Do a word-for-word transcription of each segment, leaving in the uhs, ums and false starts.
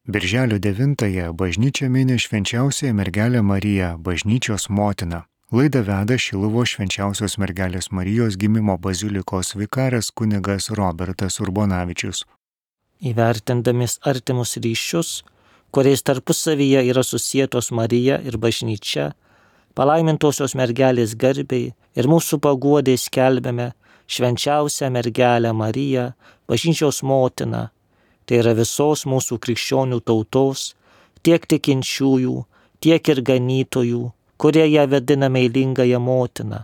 Birželio devintąją bažnyčia mini švenčiausiąją mergelę Mariją, bažnyčios motiną. Laidą veda Šiluvos švenčiausios mergelės Marijos gimimo bazilikos vikaras kunigas Robertas Urbonavičius. Įvertindami artimus ryšius, kuriais tarpusavyje yra susietos Marija ir bažnyčia, palaimintosios mergelės garbei ir mūsų paguodai skelbiame švenčiausią mergelę Mariją, bažnyčios motiną. Tai yra visos mūsų krikščionių tautos, tiek tikinčiųjų, tiek ir ganytojų, kurie ją vadina meilingąją motiną.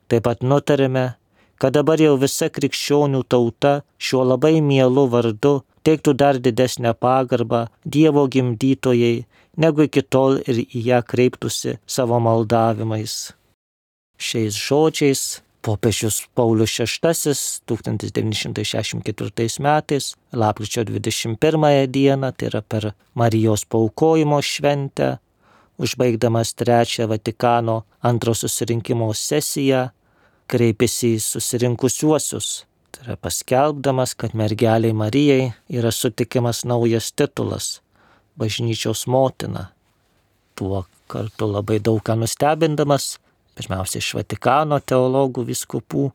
Taip pat nutarėme, kad dabar jau visa krikščionių tauta šiuo labai mielu vardu teiktų dar didesnę pagarbą Dievo gimdytojai, negu iki tol ir į ją kreiptųsi savo maldavimais. Šiais žodžiais popiežius Paulius šeštasis tūkstantis devyni šimtai šešiasdešimt ketvirtais metais, lapkričio dvidešimt pirmąją dieną, tai yra per Marijos paaukojimo šventę, užbaigdamas trečią Vatikano antro susirinkimo sesiją, kreipėsi į susirinkusiuosius, tai yra paskelbdamas, kad mergelei Marijai yra sutikimas naujas titulas – bažnyčios motina. Tuo kartu labai daug ką nustebindamas, pirmiausia iš Vatikano teologų vyskupų,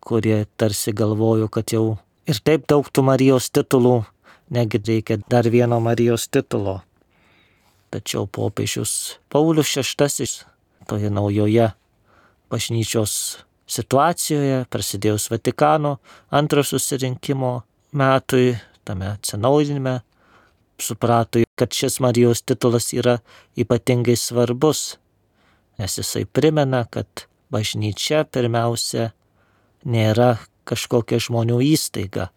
kurie tarsi galvojo, kad jau ir taip daug tų Marijos titulų, negi reikia dar vieno Marijos titulo. Tačiau popiežius Paulius šeštasis toje naujoje bažnyčios situacijoje, prasidėjus Vatikano antro susirinkimo metui, tame atsinaujinime, suprato, kad šis Marijos titulas yra ypatingai svarbus, nes jisai primena, kad bažnyčia pirmiausia nėra kažkokia žmonių įstaiga,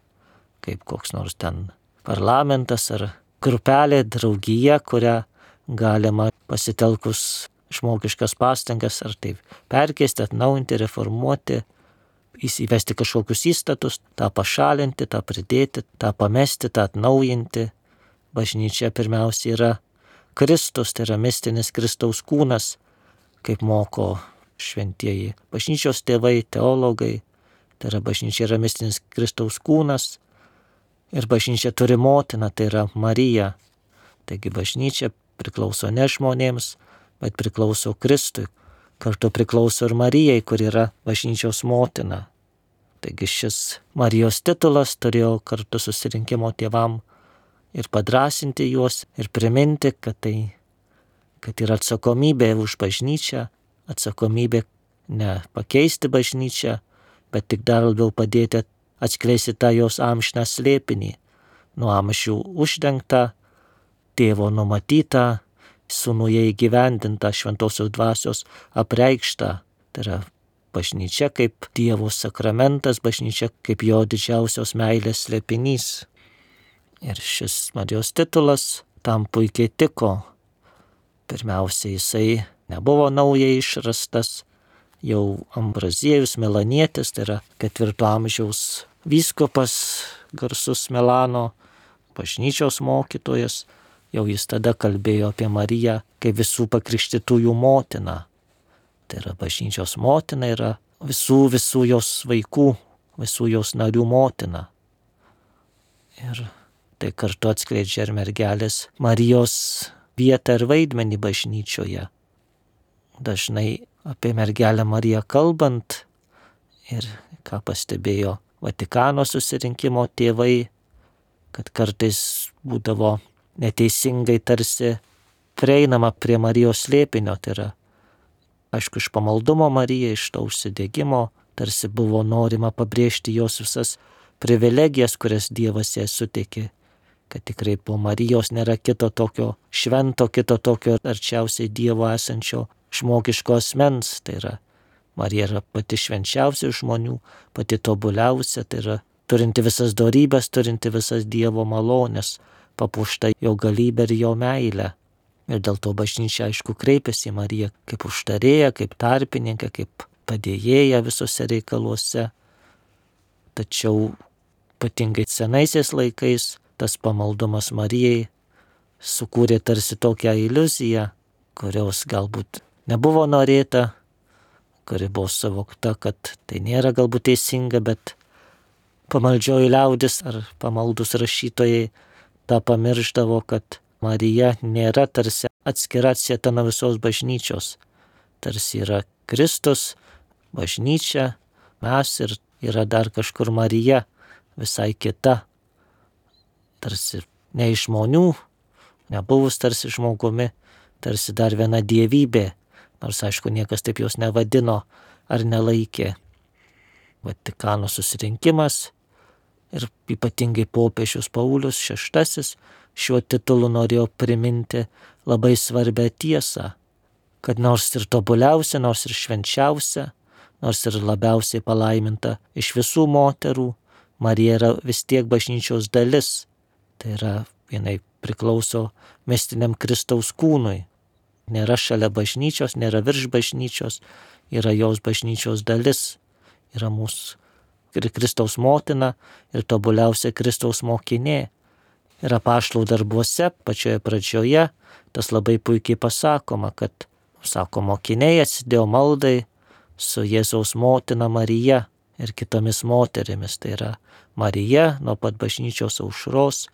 kaip koks nors ten parlamentas ar grupelė, draugija, kurią galima pasitelkus žmogiškas pastangas ar taip perkeisti, atnaujinti, reformuoti, įsivesti kažkokius įstatus, tą pašalinti, tą pridėti, tą pamesti, tą atnaujinti. Bažnyčia pirmiausia yra Kristus, tai yra mistinis Kristaus kūnas, kaip moko šventieji bažnyčios tėvai, teologai. Tai yra bažnyčia yra mistinis Kristaus kūnas ir bažnyčia turi motiną, tai yra Marija. Taigi bažnyčia priklauso ne žmonėms, bet priklauso Kristui. Kartu priklauso ir Marijai, kur yra bažnyčios motina. Taigi šis Marijos titulas turėjo kartu susirinkimo tėvam ir padrasinti juos ir priminti, kad tai kad yra atsakomybė už bažnyčią, atsakomybė ne pakeisti bažnyčią, bet tik dar labiau padėti atskleisti tą jos amžiną slėpinį, nuo amžių uždengtą, tėvo numatytą, sūnuje įgyvendintą, šventosios dvasios apreikštą. Tai yra bažnyčia kaip Dievo sakramentas, bažnyčia kaip jo didžiausios meilės slėpinys. Ir šis Marijos titulas tam puikiai tiko. Pirmiausia, jisai nebuvo naujai išrastas, jau Ambraziejus Milanietis, tai yra ketvirto amžiaus vyskupas, garsus Milano bažnyčios mokytojas, jau jis tada kalbėjo apie Mariją kaip visų pakrikštytųjų motiną. Tai yra bažnyčios motina, yra visų visų jos vaikų, visų jos narių motina. Ir tai kartu atskleidžia ir mergelės Marijos vietą ir vaidmenį bažnyčioje. Dažnai apie mergelę Mariją kalbant ir ką pastebėjo Vatikano susirinkimo tėvai, kad kartais būdavo neteisingai tarsi prieinama prie Marijos slėpinio, tai yra, aišku, iš pamaldumo Marijai, iš to užsidegimo, tarsi buvo norima pabrėžti jos visas privilegijas, kurias Dievas jai suteikė, kad tikrai po Marijos nėra kito tokio švento, kito tokio arčiausiai Dievo esančio žmogiško asmens. Tai yra, Marija yra pati švenčiausia žmonių, pati tobuliausia, tai yra turinti visas dorybės, turinti visas Dievo malonės, papuošta jo galybę ir jo meilę. Ir dėl to bažnyčia, aišku, kreipiasi į Mariją kaip užtarėją, kaip tarpininką, kaip padėjėją visose reikaluose. Tačiau ypatingai senaisiais laikais tas pamaldumas Marijai sukūrė tarsi tokią iliuziją, kurios galbūt nebuvo norėta, kuri buvo suvokta, kad tai nėra galbūt teisinga, bet pamaldžioji liaudis ar pamaldus rašytojai tą pamiršdavo, kad Marija nėra tarsi atskira atsieta nuo visos bažnyčios. Tarsi yra Kristus, bažnyčia, mes ir yra dar kažkur Marija, visai kita. Tarsi ne iš žmonių, nebuvus tarsi žmogumi, tarsi dar viena dievybė, nors aišku niekas taip jos nevadino ar nelaikė. Vatikano susirinkimas ir ypatingai popiežius Paulius šeštasis šiuo titulu norėjo priminti labai svarbią tiesą, kad nors ir tobuliausia, nors ir švenčiausia, nors ir labiausiai palaiminta iš visų moterų, Marija yra vis tiek bažnyčios dalis. Tai yra, jinai priklauso mistiniam Kristaus kūnui. Nėra šalia bažnyčios, nėra virš bažnyčios, yra jos bažnyčios dalis. Yra mūsų ir Kristaus motina, ir tobuliausia Kristaus mokinė. Ir apaštalų darbuose, pačioje pradžioje, tas labai puikiai pasakoma, kad, sako, mokiniai atsidėjo maldai su Jėzaus motina Marija ir kitomis moterimis. Tai yra Marija nuo pat bažnyčios aušros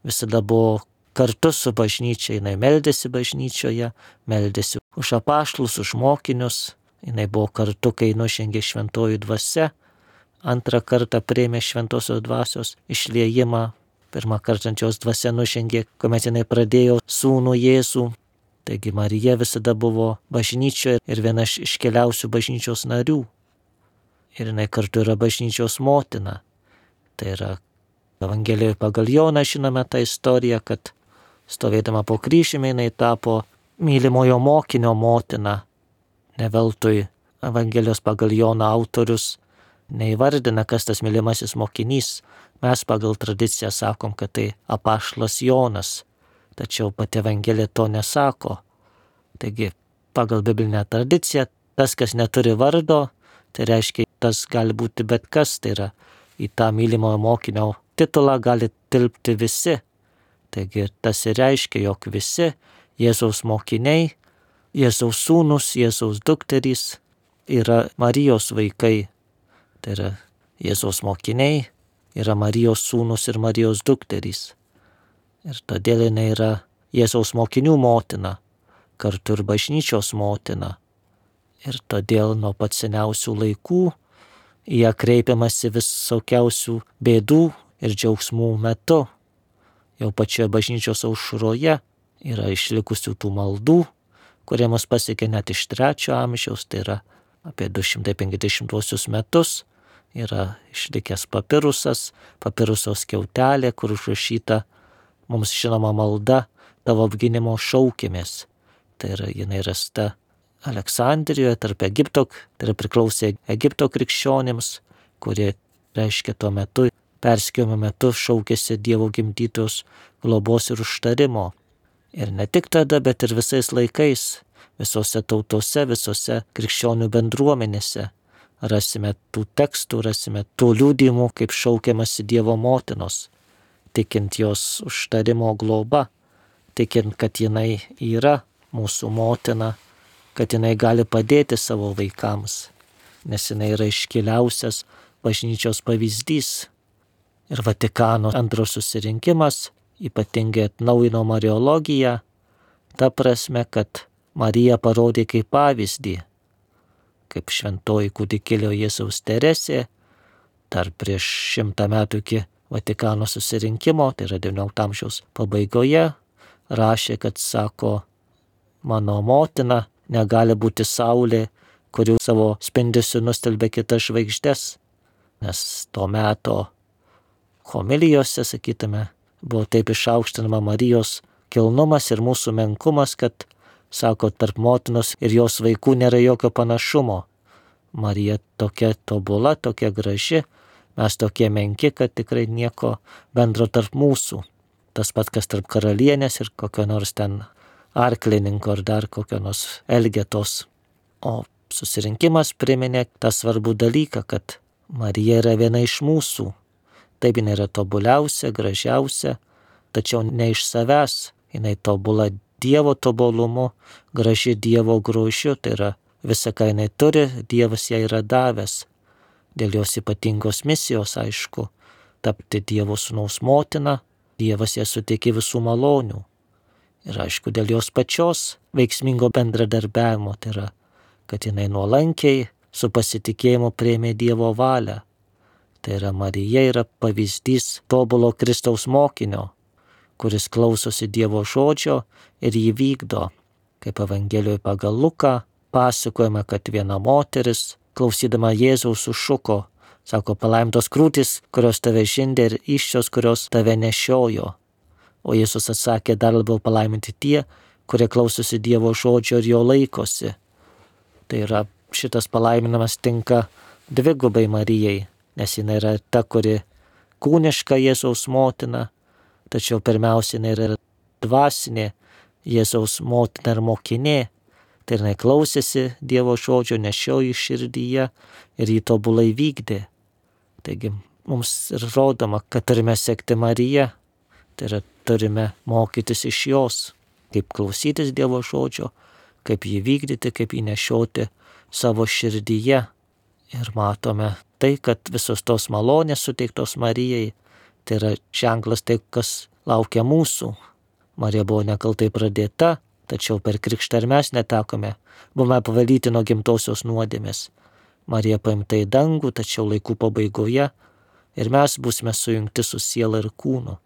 visada buvo kartu su bažnyčia, jinai meldėsi bažnyčioje, meldėsi už apaštalus, už mokinius, jinai buvo kartu, kai nužengė šventoji dvasia, antrą kartą priėmė šventosios dvasios išliejimą, pirmą kartą ant jos dvasia nužengė, kuomet jinai pradėjo sūnų Jėzų. Taigi Marija visada buvo bažnyčioje ir viena iš iškeliausių bažnyčios narių. Ir jinai kartu yra bažnyčios motina. Tai yra Evangelijoje pagal Joną žinome tą istoriją, kad stovėdama po kryžiumi jinai tapo mylimojo mokinio motina. Ne veltui Evangelijos pagal Joną autorius neįvardina, kas tas mylimasis mokinys. Mes pagal tradiciją sakom, kad tai apaštalas Jonas, tačiau pati Evangelija to nesako. Taigi, pagal biblinę tradiciją, tas, kas neturi vardo, tai reiškia, tas gali būti bet kas, tai yra į tą mylimojo mokinio titulą gali tilpti visi. Taigi, tas ir reiškia, jog visi Jėzaus mokiniai, Jėzaus sūnus, Jėzaus dukterys yra Marijos vaikai. Tai yra Jėzaus mokiniai, yra Marijos sūnus ir Marijos dukterys. Ir todėl jinai yra Jėzaus mokinių motina, kartu ir bažnyčios motina. Ir todėl nuo pat seniausių laikų į ją kreipiamasi visokiausių bėdų ir džiaugsmų metu. Jau pačioje bažnyčios aušroje yra išlikusių tų maldų, kurie mus pasiekė net iš trečio amžiaus, tai yra apie du šimtai penkiasdešimtuosius metus. Yra išlikęs papirusas, papiruso skiautelė, kur užrašyta mums žinoma malda, tavo apgynimo šaukėmės. Tai yra, jinai rasta Aleksandrijoje tarp Egipto, tai yra priklausė Egipto krikščionims, kurie, reiškia, tuo metu, persekiojimo metu šaukėsi Dievo gimdytos globos ir užtarimo. Ir ne tik tada, bet ir visais laikais, visose tautose, visose krikščionių bendruomenėse rasime tų tekstų, rasime tų liudijimų, kaip šaukiamasi Dievo motinos, tikint jos užtarimo globa, tikint, kad jinai yra mūsų motina, kad jinai gali padėti savo vaikams, nes jinai yra iškiliausias bažnyčios pavyzdys. Ir Vatikano antro susirinkimas ypatingai atnaujino mariologiją, ta prasme, kad Marija parodė kaip pavyzdį, kaip šventoji kūdikėlio Jėzaus Teresė, dar prieš šimtą metų iki Vatikano susirinkimo, tai yra devyniolikto amžiaus pabaigoje, rašė, kad sako, mano motina negali būti saulė, kuri savo spindesiu nustelbė kitas žvaigždes, nes to meto homilijose, sakytume, buvo taip išaukštinama Marijos kilnumas ir mūsų menkumas, kad sako, tarp motinos ir jos vaikų nėra jokio panašumo. Marija tokia tobula, tokia graži, mes tokie menki, kad tikrai nieko bendro tarp mūsų. Tas pat, kas tarp karalienės ir kokio nors ten arklininko ar dar kokio nors Elgetos. O susirinkimas priminė tą svarbų dalyką, kad Marija yra viena iš mūsų. Taip, jinai yra tobuliausia, gražiausia, tačiau ne iš savęs, jinai tobula Dievo tobulumu, graži Dievo grožiu, tai yra visa, ką jinai turi, Dievas ją yra davęs. Dėl jos ypatingos misijos, aišku, tapti Dievo sūnaus motina, Dievas ją suteikė visų malonių. Ir aišku, dėl jos pačios veiksmingo bendradarbiavimo, tai yra, kad jinai nuolankiai su pasitikėjimu priėmė Dievo valią. Tai yra, Marija yra pavyzdys tobulo Kristaus mokinio, kuris klausosi Dievo žodžio ir jį vykdo. Kaip Evangelijoje pagal Luką pasakojama, kad viena moteris, klausydama Jėzaus, sušuko, sako, palaimintos krūtys, kurios tave žindė, ir įsčios, kurios tave nešiojo. O Jėzus atsakė, dar labiau palaiminti tie, kurie klausosi Dievo žodžio ir jo laikosi. Tai yra, šitas palaiminimas tinka dvigubai Marijai, nes jinai yra ta, kuri kūniška Jėzaus motina, tačiau pirmiausia jinai yra dvasinė Jėzaus motina ir mokinė. Tai jinai klausėsi Dievo žodžio, nešiojo širdyje ir jį tobulai vykdė. Taigi mums ir rodoma, kad turime sekti Mariją, tai yra turime mokytis iš jos, kaip klausytis Dievo žodžio, kaip jį vykdyti, kaip jį nešioti savo širdyje. Ir matome tai, kad visos tos malonės suteiktos Marijai, tai yra ženklas tai, kas laukia mūsų. Marija buvo nekaltai pradėta, tačiau per krikštą ir mes netekome, buvome pavalyti nuo gimtosios nuodėmės. Marija paimta į dangų, tačiau laikų pabaigoje ir mes būsime sujungti su siela ir kūnu.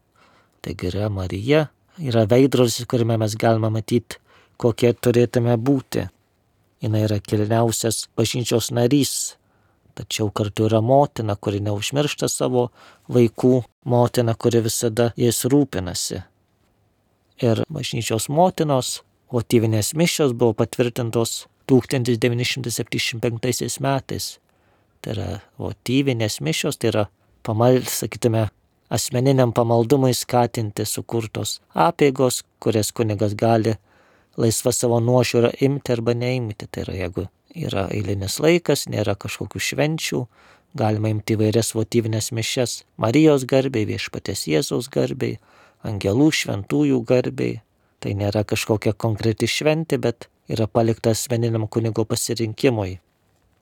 Taigi yra Marija, yra veidrodis, kuriame mes galime matyti, kokie turėtume būti. Jis yra kilniausias bažnyčios narys, tačiau kartu yra motina, kuri neužmiršta savo vaikų, motina, kuri visada jais rūpinasi. Ir bažnyčios motinos votyvinės mišios buvo patvirtintos tūkstantis devyni šimtai septyniasdešimt penktaisiais metais. Tai yra votyvinės mišios, tai yra pamal, sakytume, asmeniniam pamaldumui skatinti sukurtos apeigos, kurias kunigas gali laisva savo nuožiūrą imti arba neimti. Tai yra, jeigu yra eilinis laikas, nėra kažkokių švenčių, galima imti įvairias votyvinės mišias Marijos garbei, Viešpaties Jėzaus garbei, angelų šventųjų garbei. Tai nėra kažkokia konkreti šventė, bet yra palikta asmeniniam kunigo pasirinkimui.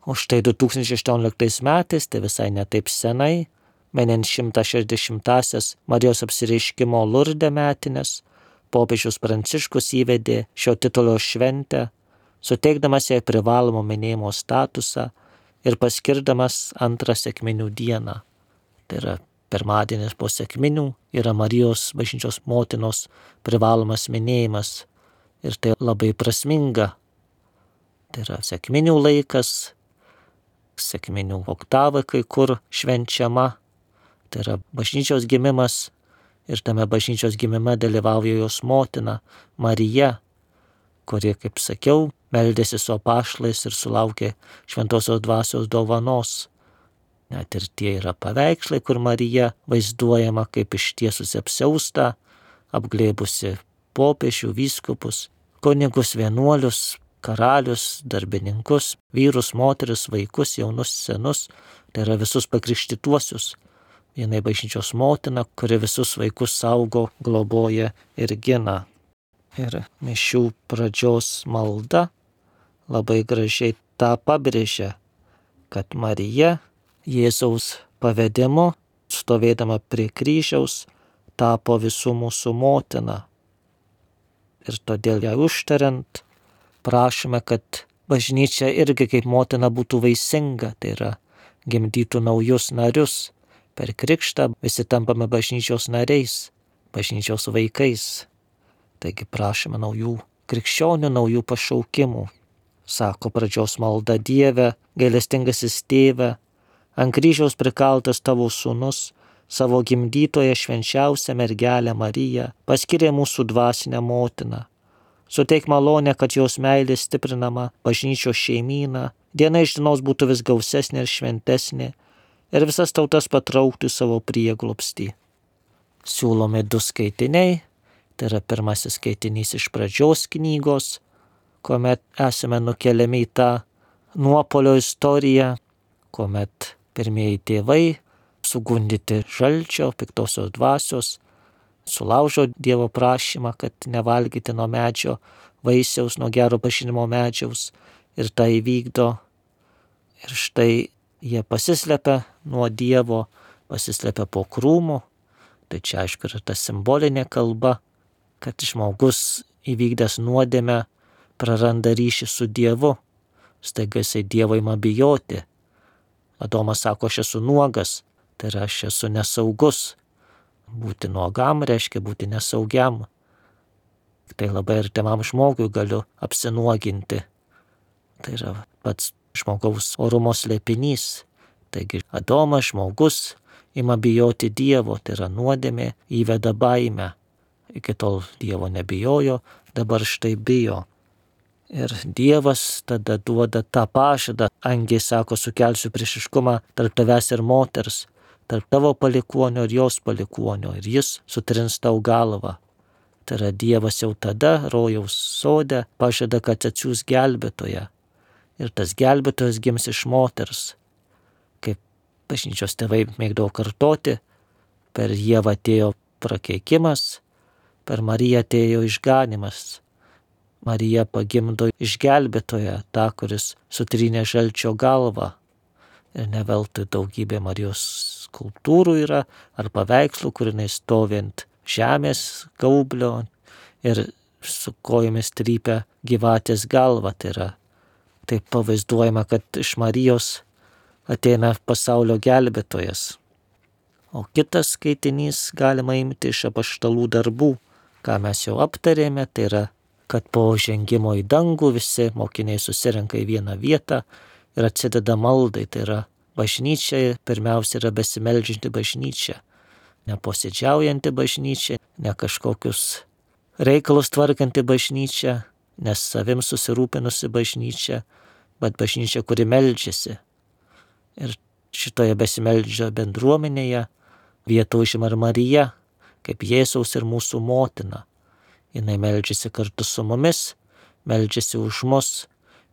O štai du tūkstančiai aštuonioliktais metais, tai visai netaip senai, minint šimtas šešiasdešimtąsias Marijos apsireiškimo Lurde metines, popiežius Pranciškus įvedė šio titulo šventę, suteikdamas jai privalomą minėjimo statusą ir paskirdamas antrą sekminių dieną. Tai yra pirmadienis po sekminių yra Marijos bažnyčios motinos privalomas minėjimas ir tai labai prasminga. Tai yra sekminių laikas, sekminių oktava kai kur švenčiama. Tai yra bažnyčios gimimas ir tame bažnyčios gimime dalyvauja jos motina Marija, kuri, kaip sakiau, meldėsi su apaštalais ir sulaukė šventosios dvasios dovanos. Net ir tie yra paveikslai, kur Marija vaizduojama kaip ištiesusi apsiaustą, apglėbusi popiežių, vyskupus, kunigus, vienuolius, karalius, darbininkus, vyrus, moteris, vaikus, jaunus, senus, tai yra visus pakrikštytuosius. Vienai bažnyčios motina, kuri visus vaikus saugo, globoja ir gina. Ir mišių pradžios malda labai gražiai tą pabrėžia, kad Marija Jėzaus pavedimu, stovėdama prie kryžiaus, tapo visų mūsų motina. Ir todėl ją užtariant, prašome, kad bažnyčia irgi kaip motina būtų vaisinga, tai yra gimdytų naujus narius. Per krikštą visi tampame bažnyčios nariais, bažnyčios vaikais. Taigi prašome naujų krikščionių, naujų pašaukimų. Sako pradžios malda: Dieve, gailestingasis tėve, ant kryžiaus prikaltas tavo sūnus, savo gimdytoje švenčiausią mergelę Mariją, paskyrė mūsų dvasinę motiną. Suteik malonę, kad jos meilė stiprinama bažnyčios šeimyną, diena iš dienos būtų vis gausesnė ir šventesnė, ir visas tautas patrauktų savo prieglobstį. Siūlomi du skaitiniai, tai yra pirmasis skaitinys iš pradžios knygos, kuomet esame nukeliami į tą nuopolio istoriją, kuomet pirmieji tėvai, sugundyti žalčio, piktosios dvasios, sulaužo Dievo prašymą, kad nevalgyti nuo medžio vaisiaus, nuo gero pažinimo medžiaus, ir tai įvykdo. Ir štai jie pasislepia nuo Dievo, pasislepia po krūmu, Tai čia aišku yra ta simbolinė kalba, kad žmogus įvykdęs nuodėmę praranda ryšį su Dievu. Staiga jisai Dievo ima bijoti. Adomas sako, aš esu nuogas, tai yra aš esu nesaugus. Būti nuogam reiškia būti nesaugiam. Tai labai artimam žmogui galiu apsinuoginti. Tai yra pats žmogaus orumo slėpinys. Taigi Adomas, žmogus, ima bijoti Dievo, tai yra nuodėmė įveda baimę. Iki tol Dievo nebijojo, dabar štai bijo. Ir Dievas tada duoda tą pažadą. Angiai sako, sukelsiu priešiškumą tarp tavęs ir moters, tarp tavo palikuonio ir jos palikuonio, ir jis sutrins tau galvą. Tai yra Dievas jau tada rojaus sode pažada, kad atsiųs gelbėtoją. Ir tas gelbėtojas gims iš moters. Kaip bažnyčios tėvai mėgdavo kartoti, per Dievą atėjo prakeikimas, per Mariją atėjo išganimas. Marija pagimdo išgelbėtoją, tą, kuris sutrynė žalčio galvą. Ir ne veltui daugybė Marijos skulptūrų yra, ar paveikslų, kur jinai stovi ant žemės gaublio ir su kojomis trypia gyvatės galvą. Tai yra taip pavaizduojama, kad iš Marijos ateina pasaulio gelbėtojas. O kitas skaitinys galima imti iš apaštalų darbų, ką mes jau aptarėme, tai yra, kad po žengimo į dangų visi mokiniai susirenka į vieną vietą ir atsideda maldai. Tai yra bažnyčia, pirmiausia yra besimeldžianti bažnyčia, ne posėdžiaujanti bažnyčia, ne kažkokius reikalus tvarkanti bažnyčia, ne savim susirūpinusi bažnyčia, bet bažnyčia, kuri meldžiasi. Ir šitoje besimeldžio bendruomenėje vietą užima ir Marija, kaip Jėzaus ir mūsų motina. Jinai meldžiasi kartu su mumis, meldžiasi už mus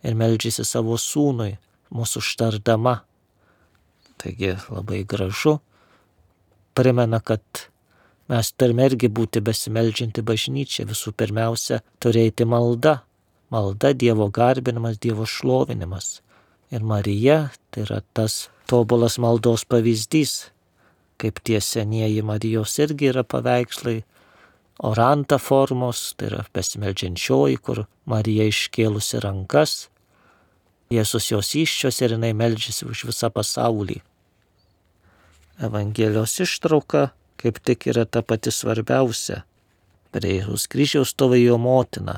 ir meldžiasi savo sūnui, mūsų užtardama. Taigi labai gražu, primena, kad mes turime irgi būti besimeldžianti bažnyčia, visų pirmiausia turėti malda, malda Dievo garbinimas, Dievo šlovinimas. Ir Marija tai yra tas tobulas maldos pavyzdys, kaip tie senieji Marijos irgi yra paveikslai, oranta formos, tai yra besimeldžiančioji, kur Marija iškėlusi rankas, Jėzus jos įsčios ir jinai meldžiasi už visą pasaulį. Evangelijos ištrauka kaip tik yra ta pati svarbiausia. Prie Jėzaus kryžiaus stovi jo motina,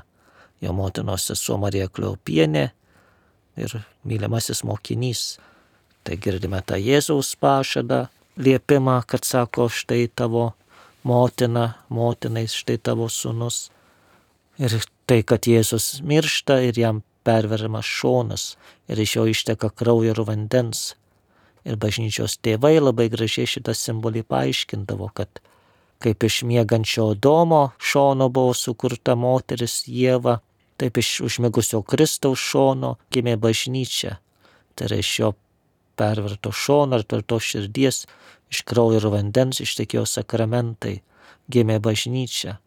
jo motinos sesuo Marija Kleopienė ir mylimasis mokinys. Tai girdime tą Jėzaus pažadą, liepimą, kad sako, štai tavo motina, motinai štai tavo sūnus. Ir tai, kad Jėzus miršta ir jam perveriamas šonas ir iš jo išteka kraujo ir vandens. Ir bažnyčios tėvai labai gražiai šitą simbolį paaiškindavo, kad kaip iš miegančio Adomo šono buvo sukurta moteris Ieva, taip iš užmigusio Kristaus šono gimė bažnyčia. Tai yra iš jo perverto šono ir tvirtos širdies, iš kraujo ir vandens ištekėjo sakramentai, gimė bažnyčia.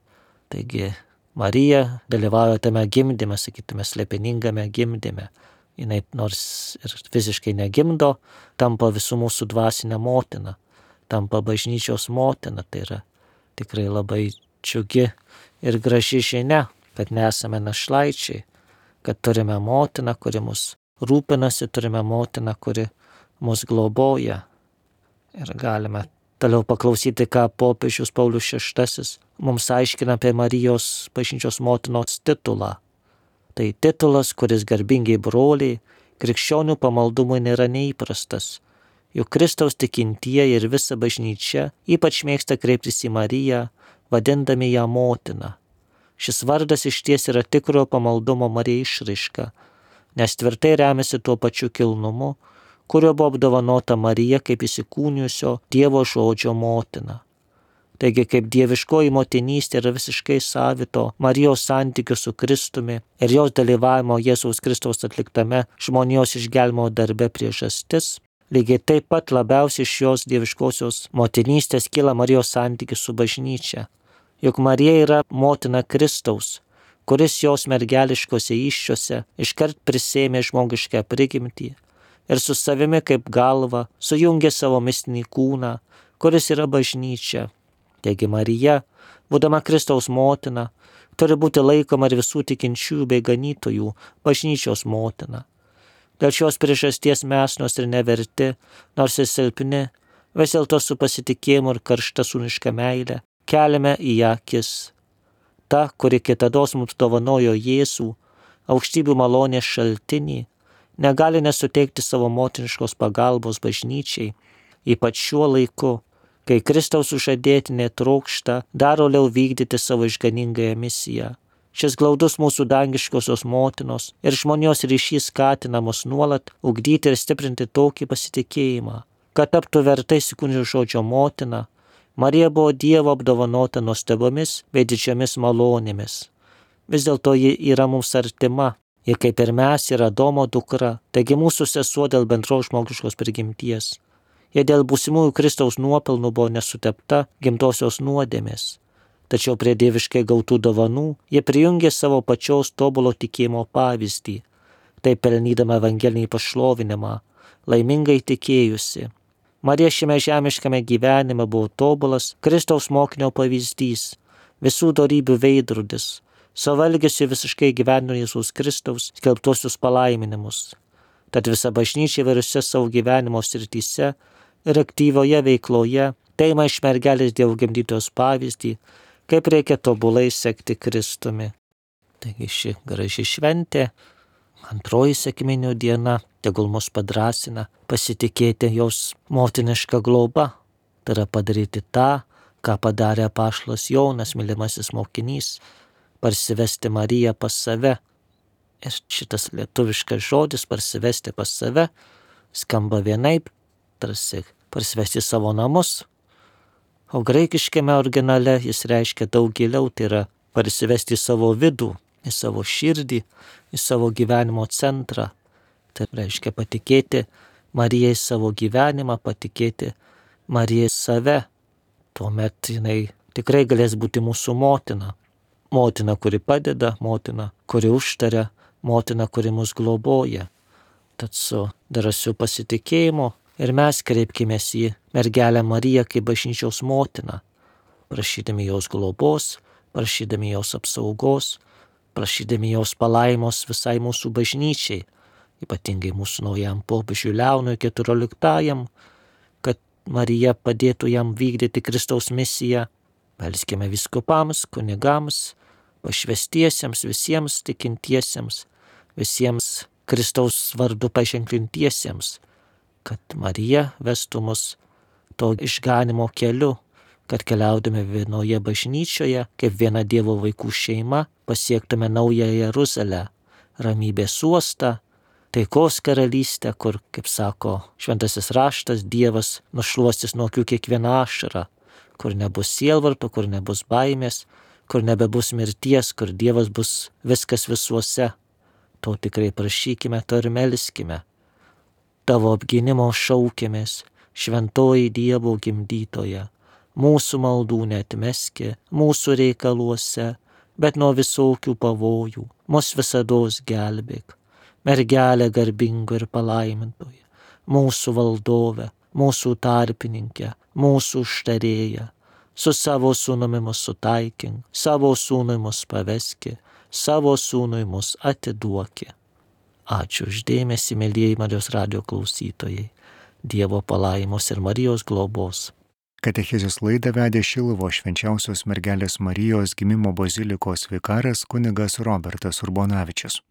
Taigi Marija dalyvauja tame gimdyme, sakytume, slėpiningame gimdyme. Jinai nors ir fiziškai negimdo, tampa visų mūsų dvasinė motina, tampa bažnyčios motina. Tai yra tikrai labai džiugi ir graži žinia, kad nesame našlaičiai, kad turime motiną, kuri mus rūpinasi, turime motiną, kuri mus globoja. Ir galime toliau paklausyti, ką popiežius Paulius šeštasis mums aiškina apie Marijos bažnyčios motinos titulą. Tai titulas, kuris garbingiai broliai, krikščionių pamaldumui nėra neįprastas. Juk Kristaus tikintieji ir visa bažnyčia ypač mėgsta kreiptis į Mariją, vadindami ją motina. Šis vardas išties yra tikrojo pamaldumo Marijai išraiška, nes tvirtai remiasi tuo pačiu kilnumu, kurio buvo apdovanota Marija kaip įsikūnijusio Dievo žodžio motina. Taigi, kaip dieviškoji motinystė yra visiškai savito Marijos santykių su Kristumi ir jos dalyvavimo Jėzaus Kristaus atliktame žmonijos išgelbėjimo darbe priežastis, lygiai taip pat labiausiai iš jos dieviškosios motinystės kyla Marijos santykis su bažnyčia. Juk Marija yra motina Kristaus, kuris jos mergeliškose įsčiose iškart prisėmė žmogišką prigimtį ir su savimi kaip galva sujungė savo mistinį kūną, kuris yra bažnyčia. Taigi Marija, būdama Kristaus motina, turi būti laikoma ir visų tikinčiųjų bei ganytojų bažnyčios motina. Dėl šios priežasties mes, nors ir neverti, nors ir silpni, vis dėlto su pasitikėjimu ir karšta sūniška meile keliame į ją akis. Ta, kuri kitados mums dovanojo Jėzų, aukštybių malonės šaltinį, negali nesuteikti savo motiniškos pagalbos bažnyčiai, ypač šiuo laiku, kai Kristaus sužadėtinė trokšta dar toliau vykdyti savo išganingąją misiją. Šis glaudus mūsų dangiškosios motinos ir žmonijos ryšys skatina mus nuolat ugdyti ir stiprinti tokį pasitikėjimą, kad taptų vertai įsikūnijusio žodžio motina. Marija buvo Dievo apdovanota nuostabomis bei didžiomis malonėmis. Vis dėlto ji yra mums artima, ji kaip ir mes yra Adomo dukra, taigi mūsų sesuo dėl bendros žmogiškos prigimties. Jie dėl būsimųjų Kristaus nuopelnų buvo nesutepta gimtosios nuodėmės. Tačiau prie dieviškai gautų dovanų jie prijungė savo pačios tobulo tikėjimo pavyzdį, taip pelnydama evangelinį pašlovinimą, laimingai tikėjusi. Marija šiame žemiškame gyvenime buvo tobulas Kristaus mokinio pavyzdys, visų dorybių veidrodis, savo elgesiu visiškai gyveno Jėzaus Kristaus skelbtuosius palaiminimus. Tad visa bažnyčia įvairiose savo gyvenimo srityse ir aktyvioje veikloje teima iš mergelės Dievo gimdytojos pavyzdį, kaip reikia tobulai sekti Kristumi. Taigi ši graži šventė, antroji sekminių diena, tegul mus padrasina pasitikėti jos motinišką globą, tai yra padaryti tą, ką padarė apaštalas Jonas, mylimasis mokinys, parsivesti Mariją pas save. Ir šitas lietuviškas žodis parsivesti pas save skamba vienaip, tarsi parsivesti savo namus, o graikiškame originale jis reiškia daug giliau, tai yra parsivesti į savo vidų, į savo širdį, į savo gyvenimo centrą. Tai reiškia patikėti Marijai savo gyvenimą, patikėti Marijai save. Tuomet jinai tikrai galės būti mūsų motina. Motina, kuri padeda, motina, kuri užtaria, motina, kuri mus globoja. Tad su drąsiu pasitikėjimu ir mes kreipkimės į mergelę Mariją kaip bažnyčios motiną, prašydami jos globos, prašydami jos apsaugos, prašydami jos palaimos visai mūsų bažnyčiai, ypatingai mūsų naujam popiežiui Leonui keturioliktajam, kad Marija padėtų jam vykdyti Kristaus misiją. Melskime vyskupams, kunigams, pašvestiesiems, visiems tikintiesiems, visiems Kristaus vardu paženklintiesiems, kad Marija vestų mus to išganimo keliu, kad keliaudami vienoje bažnyčioje, kaip viena Dievo vaikų šeima, pasiektume naują Jeruzalę, ramybės uostą, taikos karalystę, kur, kaip sako šventasis raštas, Dievas nušluostys nuo akių kiekvieną ašarą, kur nebus sielvarto, kur nebus baimės, kur nebebus mirties, kur Dievas bus viskas visuose. To tikrai prašykime, to ir melskime. Tavo apgynimo šaukėmės, šventoji Dievo gimdytoja, mūsų maldų neatmeski, mūsų reikaluose, bet nuo visokių pavojų, mus visados gelbėk. Mergelė garbinga ir palaimintoja, mūsų valdove, mūsų tarpininkė, mūsų užtarėja, su savo sūnumi mus sutaikink, savo sūnui mus paveski, savo sūnui mus atiduoki. Ačiū už dėmesį, mielieji Marijos radijo klausytojai. Dievo palaimos ir Marijos globos. Katechezės laidą vedė Šiluvos švenčiausios mergelės Marijos gimimo bazilikos vikaras kunigas Robertas Urbonavičius.